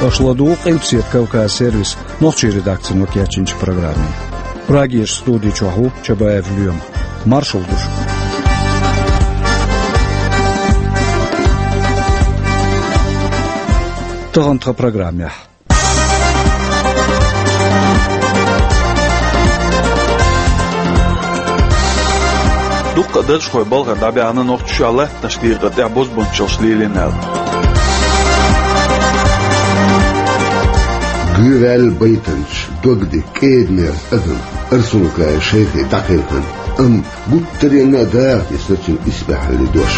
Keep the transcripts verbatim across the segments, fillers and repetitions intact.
Аша ладугӀу Къилбаседа Кавказ сервисан нохчийн редакцино кечйинчу программе. Прагерчу студи чохь ву Чабаев Лоьма. Маршалла ду шуьга. Тахана тхан программехь. Дуккха а даржхой балхара дӀабаьхна Нохчийчохь латтанаш декъар тӀехь бозбунчаллаш лелийна аьлла. Гуьйваьлла байтанчу догдика кӀеданера адам Арсункаев Шайхе дӀакхелхина, амма гуттаренна а даха тесна цуьнан исбаьхьаллин дош.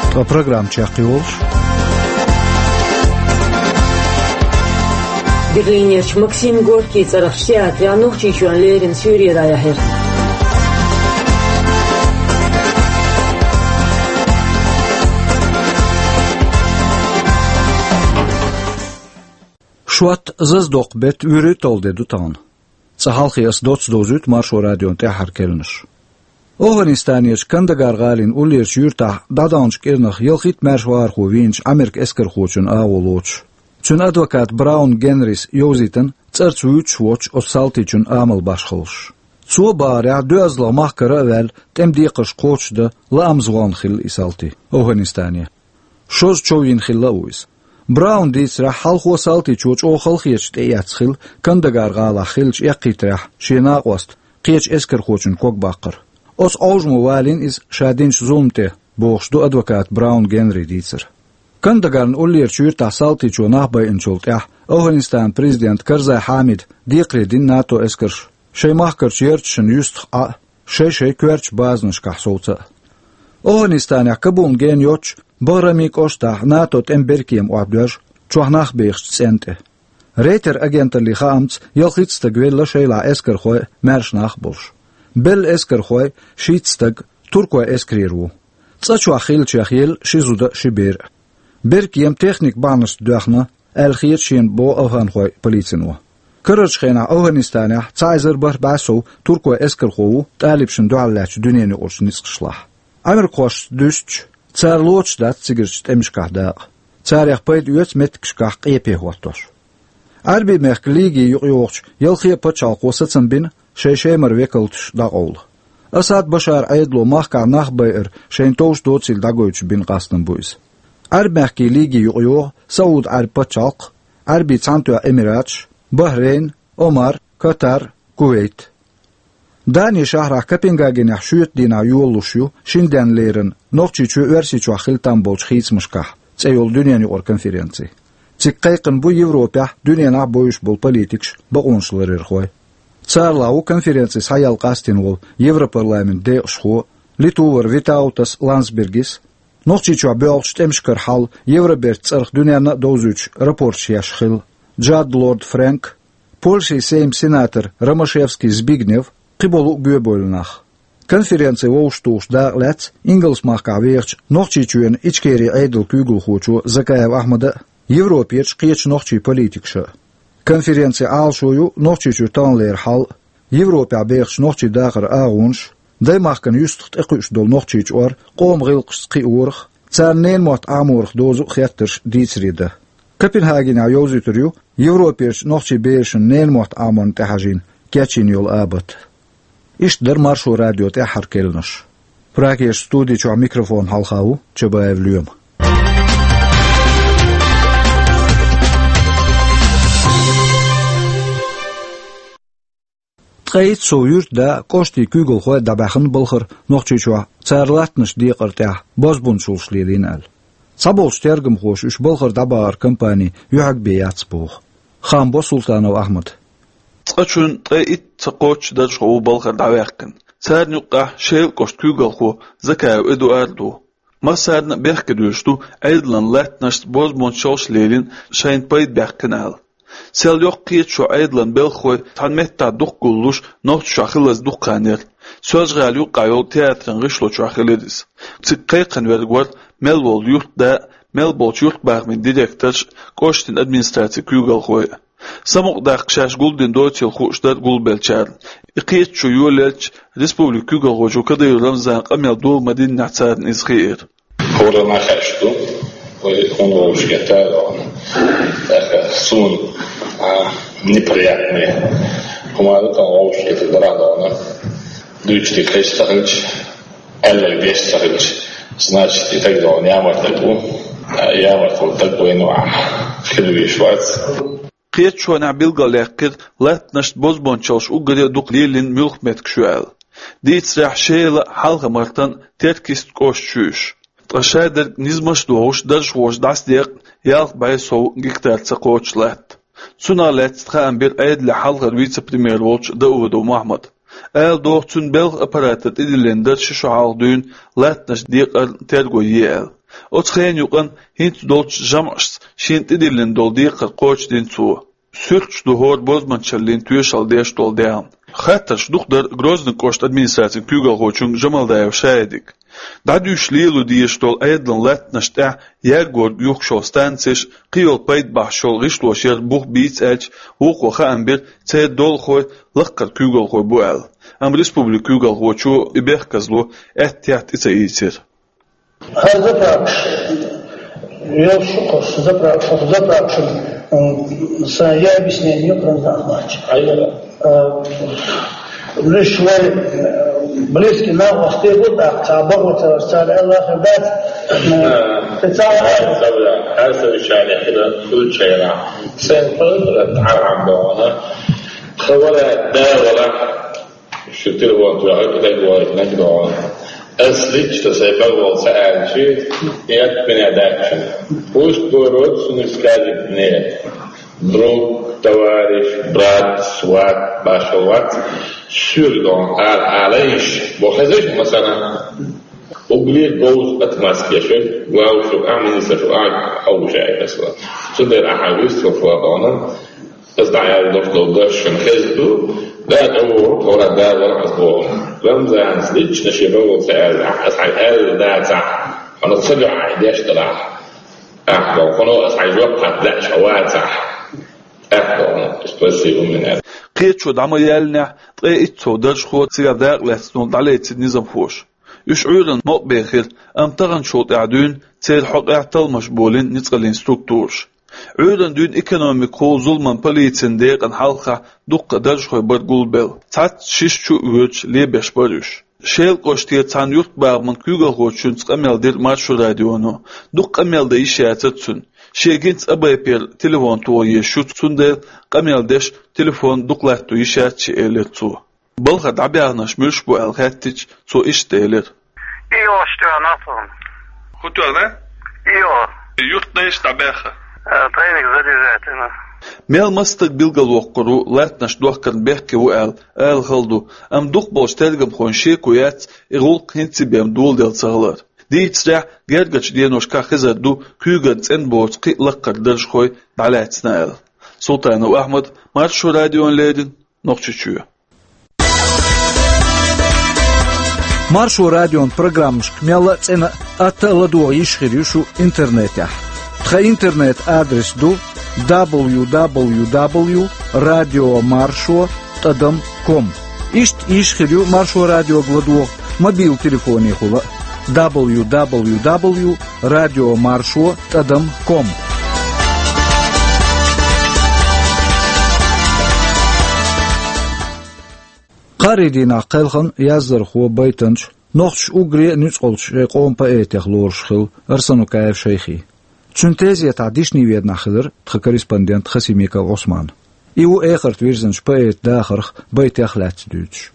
Тхан программа чекхйолуш. Берлинерчу Максим Горький цӀарахчу театрехь Нохчийчоьнна леррина суьйре дӀаяьхьира. Шот, зазадоккху беттан вуьрхӀитта де ду тахана. Цкъа хьалхе аса доцца довзуьйту Маршо радион тӀаьххьара керланаш. ОвхӀанистанерчу Кандагар гӀалин уллерчу юьртахь дӀадаханчу кӀирнах ялхитта маьрша вахархо вийначу Ӏамеркан эскархочун агӀо лоцуш. Цуьнан адвоката Браун Генрис йовзийтина цӀарца вуьйцуш воцчу оцу салтичун амал башхаллаш. Цо бахарехь, доьазалгӀа махкара а ваьлла, тӀеман декхарш кхочушдан лаамца вахана хилла и салти ОвхӀанистане. Шозза чов йина хилла а ву иза. Браун дийцарехь, хьалхо салтичо чӀогӀа халахеташ тӀеэцна хилла Кандагар гӀалахь хиллачу эккхийтарехь шен накъост кхечу эскархочун ког баккхар. Оцу Ӏовжамо валийна иза ша динчу зулам тӀе, бохуш ду адвоката Браун Генри дийцар. Кандагарна уллерчу юьртахь салтичо нах байинчул тӀаьхьа ОвхӀанистанан президента Карзай Хьамида декхаре дина НАТО эскарш шайн махкарчу ярташна юьстах Ӏа а, шай-шайн коьртачу базанашкахь совца а. ОвхӀанистанехь Кабулна гена йоццуш Баграми кӀоштахь НАТО тӀеман беркема охьадоьжна чохь нах бехачу цӀенна тӀе. Рейтер агенталлин хаамца, ялхитта стаг велла, шайлахь эскархой а, маьрша нах а болуш. Белла эскархой, шийтта стаг, туркойн эскарера ву. ЦӀа чохь хиллачех елла ши зуда а, ши бер а. Беркема техникан бахьанашца доьхна аьлла хета шена, боху афганхойн полицино. Карарчу хенахь ОвхӀанистанехь цхьа эзар бархӀ бӀе сов туркойн эскархо ву тӀалибашна дуьхьал лаьттачу дуьненаюкъарчу ницкъашлахь. Ӏамеркахошца дуьстича, цара лоцуш дац цигарчу тӀемашкахь дакъа. Царех пайда оьцу меттигашкахь къепе хӀоттош. Ӏаьрбийн мехкан Лиги юкъайогӀучу ялхе а пачхьалкхо сацам бина шайн Шемара векалташ дӀакъовла. Асад Башаран Ӏедало махкахь нах байар шайна товш доцийла дӀагойтуш бина къастам бу иза. Ӏаьрбийн мехкан Лиги юкъайогӀу СаӀуд-Ӏаьрбийн пачхьалкх, Ӏаьрбийн Цхьаьнатоьхна Эмираташ, Бахрейн, Оман, Катар, Кувейт. Данин шахьарахь Копенгагенехь шоьтан дийнахь йолалуш ю шина денна леррина Нохчийчоь Оьрсийчохь хила там болчу хийцамашкахь цӀе йолу дуьненаюкъара конференци. Цига кхайкхина бу Европехь, дуьненахь а бовзуш болу политикаш, бакъонаш ларъярхой. Царалахь ву конференци схьаяла къастийна волу Европарламентан декъашхо Литувара Витаутас Ландсбергис, Нохчийчохь боьлхучу тӀемашкара хьал Евробертан цӀарах дуьненна а довзуьйтуш рапорташ еш хилла Джад Лорд Фрэнк, Польшин Сейман сенатор Ромашевский Збигнев, кхиболу а гоьбевлла нах. Конференци вовшахтухуш дакъа лаьцна Ингалс-махкахь вехачу Нохчийчоьнан Ичкерин Ӏедалан куьйгалхочо Закаев Ахьмада а, Европерчу кхечу нохчийн политикаша а. Конференцин Ӏалашо ю Нохчийчуьра таханлера хьал а, Европехь бехачу нохчийн дахаран агӀонаш а, даймахкана юьстах тӀекхуьуш долу Нохчийчуьра къоман гӀиллакхашца кхиорах а, царна ненан мотт Ӏаморах дозу а хеттарш дийцаре дан. Копенгагенехь йовзуьйтур ю Европерчу нохчийн берашна ненан мотт Ӏаморна тӀехьажийна кечйина йолу абат. Иштта дара Маршо радион тӀаьххьара керланаш. Прагерчу студи чохь микрофонна хьалха ву Чабаев Лоьма. Ткъе итт сов юьртда а, кӀоштийн куьйгалхой а дӀабаьхна балхара Нохчийчохь цара латтанаш декъар тӀехь бозбунчаллаш лелийна аьлла. Цхьаболчу тергамхоша уьш балхара дӀабахаран кампани юьхьиг бен яц боху. Хаам бо Султанов Ахьмада. Цкъачунна ткъе итт ца кхоччуш даржхо ву балхара дӀаваьккхина. Царна юккъехь Шелан кӀоштан куьйгалхо Закаев Эдуард ву. Массарна а бехкедуьйлуш ду, Ӏедалан латтанашца бозбунчаллаш лелийна, шайна пайда баьккхина аьлла. Сел йоккха кхеташо Ӏедалан белхахой цхьана меттехь дукха гуллуш, Нохчийчохь хиллаза дукха хан яра. Соьлжа-ГӀала юккъехь йолу театран гӀишло чохь хилира иза. Цига кхайкхина верг вара мел волу юьртда а, мел болчу юьртбахамийн директорш а, кӀоштийн администрацин куьйгалхой а. Самукъадаккха шаьш гулдина доцийла хууш дара гулбеллачарна. И кхеташо йолаелча, республикан куьйгалхочо Кадыров Рамзана къамел дола ма-диннехь царна иза хиира. ХӀора нах хьаьшта ду, вай хӀун вовшашка тӀадоагӀна. ТӀаккха суна, а, неприятный хӀума да тхан вовшашка тӀадоагӀна. Дуьйцуш дика хеза ца хилча, аьлларг деш ца хилча, значит, и тӀадоагӀна ямарта тӀа ву, а, ямарта тӀа вайна а хила везаш вац. Кхеташонехь билгалъяьккхира, латтанашца бозбуунчаллаш уггаре а дукха лелийна муьлха меттигаш ю аьлла. Дийцарехь, Шелан а, Хьалха-Мартан а, Теркйист кӀошташ ю уьш. Ткъа шадерг низамаш а дохуш, даржхоша дӀасадекъна ялх бӀе сов гектар ца кхочуш латта. Цунах лаьцна хаам бира Ӏедалан хьалхара вице-премьер волчу Даудов Мохьмада. Ала догӀу, цуьнан белхан аппарата тӀедиллина дара ши шо хьалха дуьйна латтанаш декъарна терго е аьлла. Оцу хенан юкъанна хӀинца долчу жамӀашца шена тӀедиллина долу декхар кхочушдина цо. Суьрташ ду хӀора бозбуунчаллин тоьшалла деш долу даьхна. Хаттарш дукха дара Грозный кӀоштан администрацин куьйгалхочуьнга Жамалдаев Шаидага. ДӀадуьйшуш лело дезаш долу Ӏедалан латтанаш тӀехь ягорг юхкуш йолу станцеш, кхин йолу пайда бахьаш йолу гӀишлош яра бух бийца аьлча, вукхо хаам бира, церан долахой лаккхара куьйгалхой бу аьлла. Амма республикан куьйгалхочо и бехказло аьттехьа тӀе ца ийцира. ХӀара заправкаш, йолуш шу кху заправкаш, хӀокху заправкашна, м, сан я объяснение ю, хӀара нах лаьтташ. Хьайгара. А, лиш вай, э, близкий накъостий бу, тӀаккха цхьа бакъо ца веш, цара аьлла хир дац, э, А. Ца вара. Ца вара. Хьан совещание хила, случайно. Сайн палатра тӀаьхьа бохуна. Хабара да вара. Шу телефон тоьхна, кхидерг вахийтинарг догӀу. Ас лично сайн бакъволу ца аьлча, и атта мина даьчча. Пусть город суна скажет мне, друг, товарищ, брат, сват, башхалла вац, суьра догӀу, ала, ала йиш, бо хезаш, масала, угли говза отмазка еш, главу шу, а, министр шу, а, хьовша, масала. Цундела ахьа вистхула догӀу. Аса дӀааьлла долуш долу даш шуна хезна ду, да, тӀе вогӀу, тхуна да вара аса боху. Рамзанас лично шен бакъволу ца аьлла, аса хьайн аьлла дацахь, хьуна ца дуьхьа хьайн деш далахь. Ахьа, хьуна аса хьайн жоп хатта лаьа ша вацахь. Ахьа, спасибо, мина. Кхеташо дӀа ма яьллинехь, ткъе итт сов даржхо цигахь дакъа лаьцна дӀалецира низамхоша. Уьш Ӏуьйранна мукъабехира, амма таханчул тӀаьхьа дуьйна церан хьокъехь талламаш болийна ницкъаллин структураша. Ӏуьйранна дуьйна экономикахула зуламан полицин декъана хьалхахь дуккха даржхой бара гулбелла, цхьацца шишша чу а воьдуш лебеш бара уьш. Шелан кӀоштера цхьана юьртбахаман куьйгалхочуьнца къамел дира Маршо радионо. Дукха къамел дан йиш яцара цуьнан. Шен гинца АБП-ра телефон тоха езаш ю, цундела къамел деш телефон дукха латто йиш яц шен, элира цо. Балхара дӀабаьхнарш муьлш бу аьлла хаьттича, цо иштта элира. И ош тӀе нахана. ХӀун тоьхна? И о. Юртнайш дӀабаьхна. Э, тайник задержательно. Мел маса стаг билгалвоккхур ву, латтанаш дохкарна бехке ву аьлла, ала хала ду, амма дукхахболчу тергамхойн шеко яц и гӀуллакх хӀинца бен доладелла ца хилар. Дийцарехь, гергарчу деношкахь хезар ду куьйган цӀена боцу кхин а лаккхара даржхой дӀалаьцна аьлла. Султанов Ахьмад, Маршо радиона леррина, Нохчийчоь. Маршо радион программашка мелла а цӀена а, атта а ладогӀа йиш хир ю шу интернетехь. Тхан интернет-адрес ду дабл ю дабл ю дабл ю радио маршо тӀадам ком. Иштта йиш хир ю Маршо радиога ладогӀа мобил телефонехула а, дабл ю дабл ю дабл ю радио маршо тӀадам ком. Кхаарин дийнахь кхелхина яздархо, байтанча, нохчаша уггаре а нуьцкъалчу шайн къоман поэтех лоруш хилла Арсанукаев Шайхи. Цуьнан тезетахь дишни веданахь хилира тхан корреспондент Хасимиков Ӏусман. И ву эхарта вирзинчу поэтан дахарх, байтех лаьцна дуьйцуш.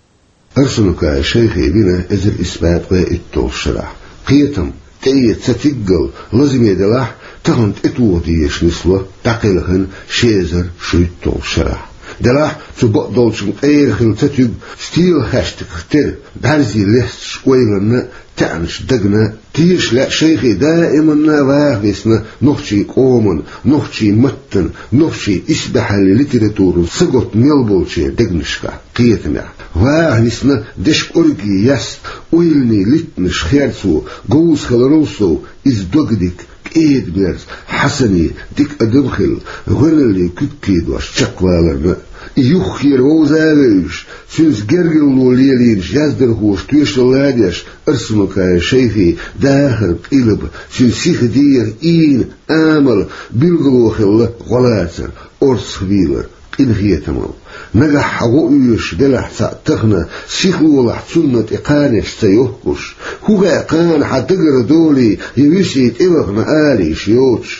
Арсанукаев Шайхи вина эзар исс бӀе ткъе итталгӀачу шарахь. Кхетам, тӀеэца ца тиггал лазаме делахь, тахана тӀетоха дезаш нисло дӀакхелхина ши эзар шийтталгӀачу шарахь. Делахь, цу бакъдолчун къера хилла ца туьгу стелахаьштагах тера, бӀаьрзе лесташ ойланна, таьӀнаш дагна, теша лаьа Шайхи даиманна ваха висна нохчийн къоман, нохчийн маттан, нохчийн исбаьхьаллин литературан саготта мел болчеран дегнашкахь, кхетамехь. Ваха висна дешан кӀорггера яста, ойланийн литтанаш херцо, говза хиларал сов, иза догдика, кӀеда-мерза Хьасане дика адам хилла, гӀоьналлин куьг кхийдош чекхваларна а. И юххера вовза а вевзаш, цуьнца гергарло лелийначу яздархоша тоьшалла а деш, Арсанукаев Шайхин дахар, къилба, цуьнан сиха дегӀан ийна, амал билгало хилла гӀо лацар, орцах вийлар, къинхетамал. Нагахь хьан гӀо оьшуш велахь цхьаъ тахана, сихлолахь цунна тӀе кханеш ца йохкуш. ХӀун хаьа, кхана хьан дагара долий я вуьсий тӀевахана алийша йоцуш.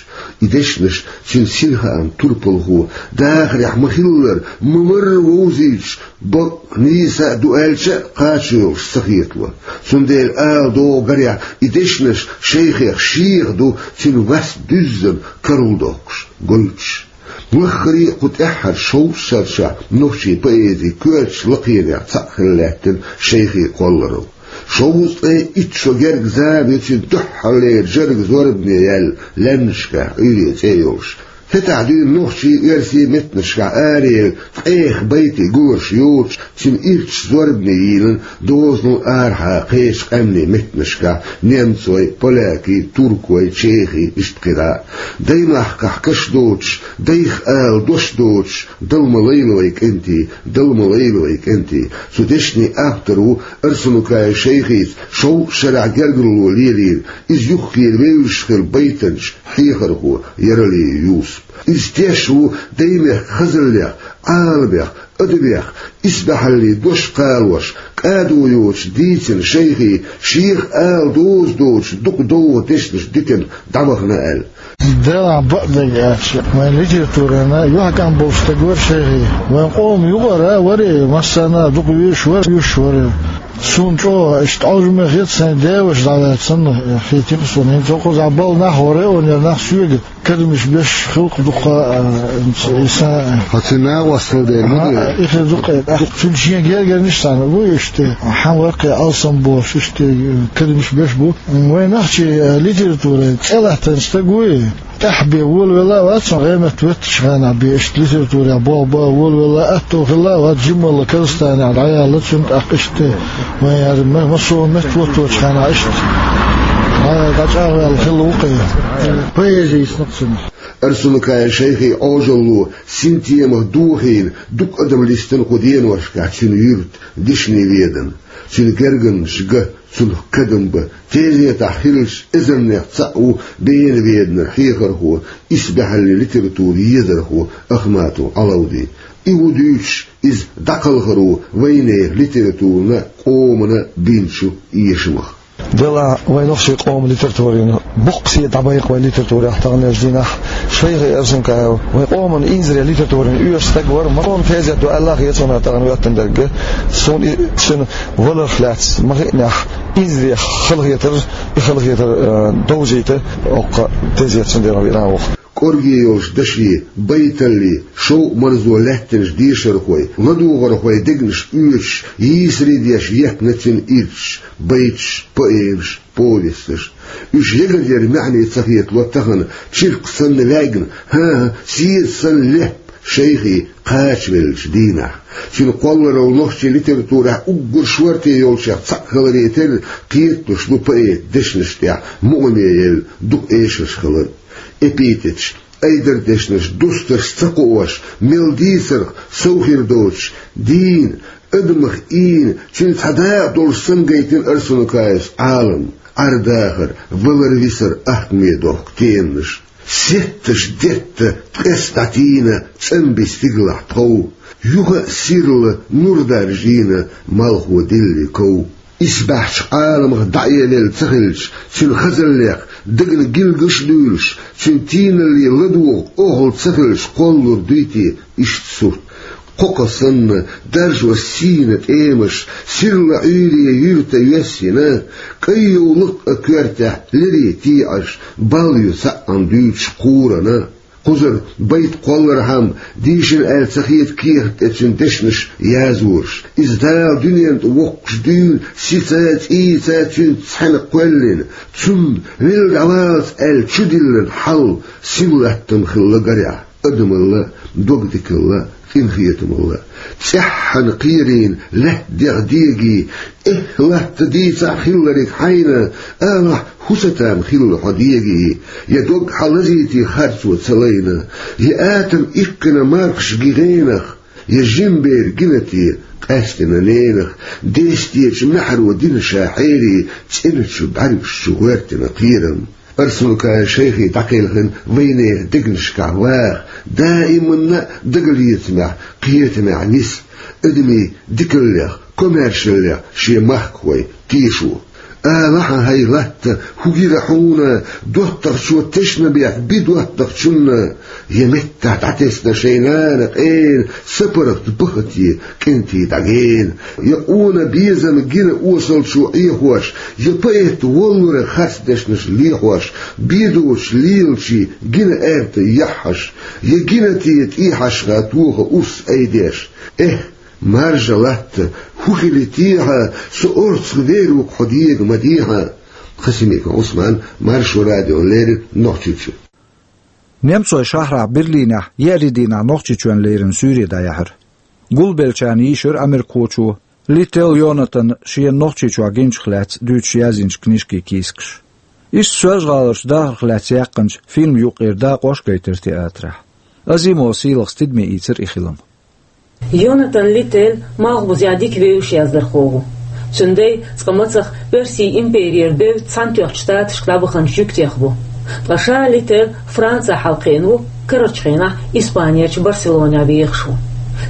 И дешнаш цуьнан синхааман турпалхо дахарехь ма-хиллара, ма-марра вовзуьйтуш, бакъ, нийса а ду аьлча а, кхача йолуш ца хетало. Цундела ала догӀу гарехь, и дешнаш Шайхех шеха ду, цуьнан вас дуьззина карладоккхуш, гойтуш. Лаххара а кху тӀаьххьара шовзткъа шарчохь нохчийн поэзин коьртачу лакхенех цхьаъ хилла лаьттина Шайхин кхолларалла. Шовзткъе итт шо герга зама ю цуьнан дуьххьарлера жарга зорбане яьлла «Лаьмнашкахь Ӏуьйре» цӀе йолуш. ХӀетахь дуьйна нохчийн, оьрсийн меттанашкахь араяьлла ткъех байтийн гуларш йоцуш, цуьнан ирчаша зорбане йийлина дозанал арахьа кхечу къаьмнийн меттанашкахь, немцойн, полякийн, туркойн, чехийн, иштта кхидӀа а. Даймахкахь каш доцуш, дайх ала дош доцуш, «Дала ма лайла вайн кӀентий, Дала ма лайла вайн кӀентий». Цу дешнийн автор ву Арсанукаев Шайхица шовзткъа шарахь гергарло лелийна, иза юххера вевзаш хилла байтанча, хьехархо Яралиев Юсуп. Иза теш ву даймехкан хазаллех, Ӏаламех, адабех исбаьхьаллин дош кхалош, кӀадо йоцуш дийцина Шайхин, шех ала доза доцуш дукха довха дешнаш дитина дӀавахана аьлла. Делахь бакъдерг аьлча, вайн литературана юьхькӀам болуш стаг вара Шайхи. Вайн къоман юкъара вара, массарна а дукха вуьйш вара, вуьйш вара. Суна чӀогӀа иштта Ӏожалла хета, сайн деваша дӀаваьлла санна хетира суна. ХӀинца хӀокхузахь балнах вара, онера нах соьга кадамаш беш хилла дукха, а, и са- Хьо цуьнан накъостал дерг ма ду. А, и хир ду-кх, а, цуьнан шен гергарнаш санна ву иштта. Хьан варкхе алсам болуш, иштта кадамаш беш бу. Вайн нохчийн литературан цӀе латтийна стаг вуй. ТӀаьхьа бен волавелла а вац, гӀеметтан веттачу хенахь бен иштта литературехь болх бан волавелла а, аьтто хилла а вац, жималла Казахстанехь дӀаяьлла цуьнан, тӀаккха иштта вайн яра ма-, массо а метта вуттучу хенахь иштта дӀа-, дӀачӀагӀваьлла хилла ву-кх и. Поэзи йисна-кх цуьнан. Арсанукаев Шайхин Ӏожалло синтемах дохийна, дукха адам листина кху деношкахь цуьнан юьрта, Дишни-Ведана. Цуьнан гергарнаш ган, цунах кадам бан тезетахь хиллачу эзарнех цхьаъ ву Бена-Веданара хьехархо, исбаьхьаллин литературан езархо Ахматов Ӏалавди. И ву дуьйцуш иза дӀакхалхаро вайнехан литературана а, къомана а бинчу эшамах. Делахь вайн нохчийн къоман литературина боккха седа дӀабайкха вайн литературехь таханлерчу дийнахь. Шайхи Арсанукаев вайн къоман инзаре литературина оьшуш стаг вара, ма-, къоман тезет ду аьлла а хета суна тахана хӀоьттина дерг. Суна и цуьнан валарх лаьцна ма-хиънехь, инзаре халахетар, и халахетар, а, довзийта, оккха тезет цундела вина ву-кх. КӀорге йолчу дашен, байталлин шовкъ-марзо лаьттинчу дешархойн, ладогӀархойн дегнаш оьцуш, йийсаре деш еттина цуьнан ирчаш, байташ, поэмаш, повесташ. Уьш ягар яра маьӀне ца хетало тахана, чиркх санна лаьгна, хӀан-хӀа, седа санна леппа Шайхи кхачавеллачу дийнахь. Цуьнан кхолларалла нохчийн литературехь уггар шорта йолчех цхьаъ хиларе терра, кхеталуш ду поэтан дешнаш тӀехь мукъаме елла дукха эшарш хилар. Эпитеташ, айдардешнаш дустарш ца кхоош, мел дийцарх сов хир доцуш, дийна, адамах ийна, цуьнан цхьа дакъа долуш санна гайтина Арсанукаевс Ӏалам, Ӏар-дахар, валар-висар ахкаме дохку теманаш. Сетташ детта ткъес дӀатийна, цӀанбина стигалахь тхов, юха а сирла нур даржийна, малхо дилли ков. Исбаьхьчу Ӏаламах дӀаэлелла ца хилча, цуьнан хазаллех дагна гилгаш а дуьйлуш, цуьнан тийналлин ладогӀа охьалла ца хилча, кхоллалур дуй те иштта сурт? Кхокха санна даржош сийна тӀемаш, сирла Ӏуьйре юьрта йоьссина, кӀайн йовлакх а коьртехь леррина тийӀаш, бал ю цхьаъ дуьйцуш кхурана. Кхузара байт кхоллархьама, дийшина аьлла ца хета кехат тӀе цуьнан дешнаш язъеш. Иза Дала дуьненна тӀе воккхуш дуьйна, сица, цӀийца цуьнца цхьаьна кхоьллина, цунна велла дӀавалаца аьлла чудиллина хьал, сима латтам хилла гарехь. Адамалла, догдикалла, къинхетамалла. ЦӀеххьана кхерийна лаьтта дегӀ дега, эхь латта дийцахь хилларг хьайна, алахь, хӀусатам хилла хьо дега, я дог хьалазийти харцо ца лайна, я атам иккхина мархаш гигӀенах, я жимбер гинате къаьстина ненах, дестечу маьхьаро дина ша хьерий, цӀеначу бӀаьргаш чу гӀоьртина кхерам. Арсанукаев Шайхи дӀакхелхина вайнехан дегнашкахь ваха, даиманна а дагалецамехь, кхетамехь нис, адамийн дикаллех, комаьршаллех шен махкахой тешо. Алахьа, хӀай латта, хӀун гира хьуна, доттагӀчо тешнабехк би доттагӀчунна, я меттахь дӀатесна шайн нана къена, сапаргӀат бахате, кӀентий дӀагена, я къона безам гина осалчо Ӏехош, я поэт воллура харц дешнаш лехош, бедочу лелачийн гина аьрта яххьаш, я гинате тӀехьашха тоха урс айдеш. Эх, маржа латта, хӀун хили техьа, со орцах вер ву-кх хьо дега ма дехьа. Хасимиков Ӏусман, Маршо радиона леррина, Нохчийчоь. Немцойн шахьарахь Берлинехь еарин дийнахь Нохчийчоьнна леррина суьйре дӀаяьхьира. Гулбеллачарна йийшира америкахочо Литтел Йонатана шена Нохчийчохь гинчух лаьцна дуьйцуш язйинчу книжкийн кийсакаш. Иштта Соьлжа-ГӀаларчу дахарх лаьцна яьккхинчу фильман юккъера дакъош а гайтира театрехь. Азимова Сийлахас тидаме ийцира и хилам. Йонатан Литтел малхбузехь дика вевзаш яздархо ву. Цуьнан дай цкъа мацах Оьрсийн имперера бевдда Цхьаьнатоьхначу Штаташка дӀабаханчу жуьгтех бу. Ткъа ша Литтел Францехь хьалакхиъна ву, карарчу хенахь Испанерчу Барселонехь вехаш ву.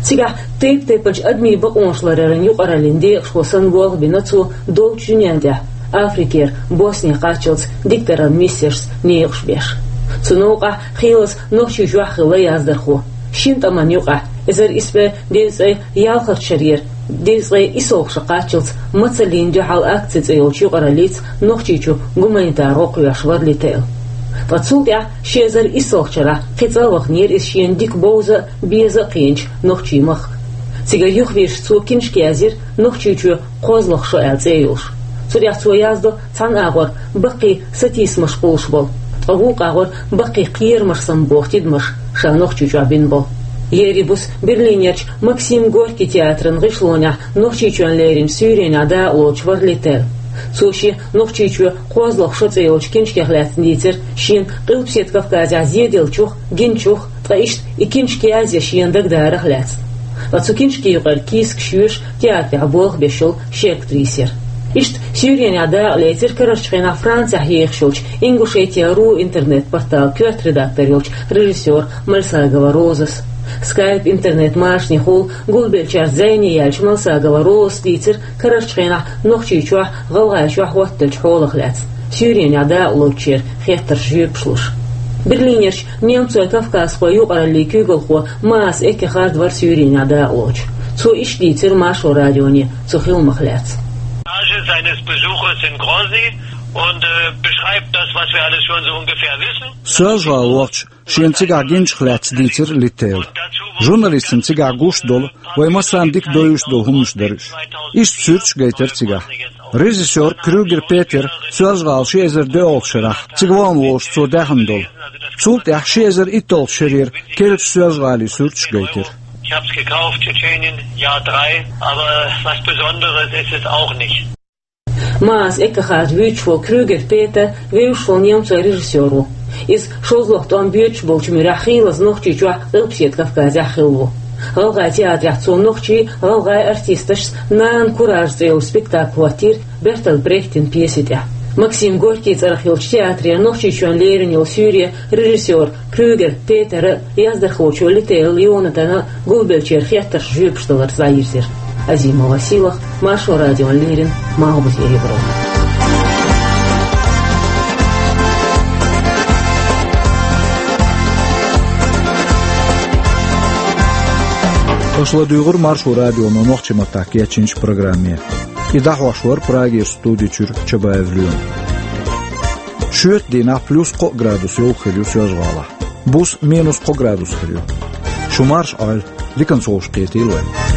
Цигахь тайп-тайпанчу адамийн бакъонаш ларъяран юкъараллин декъашхо санна болх а бина цо долчу дуьнен тӀехь, Африкера Босне кхаччалц дикадаран миссешца некъаш беш. Цу новкъахь Хийлас Нохчийчохь а хилла яздархо. Шина тӀамна юкъахь, эзар исс бӀе дезткъе ялхалгӀачу шарера дезткъе иссалгӀачу шарахь кхаччалц «Мацаллина дуьхьал акци» цӀе йолчу юкъараллица Нохчийчу гуманитар гӀо кхоьхьуш вара Литтел. Ткъа цул тӀаьхьа ши эзар иссалгӀачу шарахь кхин цкъа а ваханера иза шена дика бовза а, беза а кхиъначу нохчийн махка. Цигара юхавирзича цо книжка язйира «Нохчийчоь кхозлагӀа шо» аьлла цӀе йолуш. Цу тӀехь цо яздо цхьана агӀор баккхий сатийсамаш кхуллуш болу, ткъа вукху агӀор баккхий кхерамаш самабоху тидамаш, ша Нохчийчохь бина болу. Ерриг буса Берлинерчу Максим Горький театран гӀишлонехь Нохчийчоьнна леррина суьйренехь дакъалоцуш вара Литтел. Цо шен «Нохчийчоь кхозлагӀа шо» цӀе йолчу книжкех лаьцна дийцира шена Къилбаседа Кавказехь зеделлачух, гиначух, ткъа иштта и книжка язъян шена дагадарах лаьцна. Ткъа цу книжкийн юкъара кийсакаш йоьшуш театрехь болх беш йолу ши актриса яра. Иштта суьйренехь дакъа лецира карарчу хенахь Францехь ехаш йолчу «Ингушетия ру» интернет-порталан коьрта редактор йолчу режиссёр Мальсагова Розас. Скайп интернет-машанехула гулбеллачаьрца зӀене яьлча Мальсагова Розас дийцира карарчу хенахь Нохчийчохь, ГӀалгӀайчохь хӀоттаделлачу хьолах лаьцна, суьйренехь дакъалоцучеран хеттарш жоьпаш луш. Берлинерчу немцойн-кавказхойн юкъараллин куьйгалхо Маас Эккехард вара суьйренехь дакъалоцуш. Цо иштта дийцира Маршо радионе цу хиламах лаьцна. Tage seines Besuches in Grozny und, äh, beschreibt das, was wir alles schon so ungefähr wissen. Соьлжа-ГӀала вахча, шена цигахь гиначух лаьцна дийцира Литтела. Журналистана цигахь гуш долу, вай массарна дика довзуьйтуш долу хӀуманаш дара уьш. Иштта суьрташ а гайтира цигахь. Режиссёр Крюгер Петера Соьлжа-ГӀала ши эзар доьалгӀачу шарахь цига вахана волуш цо даьхна долу. Цул тӀаьхьа ши эзар итталгӀачу шарера керлачу Соьлжа-ГӀалин суьрташ а гайтира. Ich hab's gekauft, Tschетшенien, Jahr drei, aber was Besonderes ist es auch nicht. Маас Эккехард вуьйцуш волу Крюгер Петер вевзаш волу немцойн режиссёр ву. Иза шозлагӀа тӀом боьдуш болчу муьрехь Хийлас Нохчийчохь, Къилбаседа Кавказехь хилла ву. ГӀалгӀайн театрехь цо нохчийн, гӀалгӀайн артисташца «Нанна куража» цӀе йолу спектакль хӀоттийра Бертольд Брехтан пьеси тӀехь. Максим Горький цӀарах йолчу театрера Нохчийчоьнна лерина йолу суьйре режиссёр Крюгер Петера, яздархочо Литтел Йонатана гулбеллачеран хеттарш жоьпаш даларца дӀайирзира. Азимова Сийлаха, Маршо радиона леррина, Малхбузера Европа. Аша ладуьйгӀура Маршо радионо нохчийн маттахь кечйинчу программе. И дӀахьош вара Прагера студи чуьра Чабаев Лоьма. Шоьтан дийнахь плюс кхо градус йовха хир ю Соьлжа-ГӀалахь. Буса минус кхо градус хир ю. Шу марша Ӏойла, диканца вовшахкхетийла вай.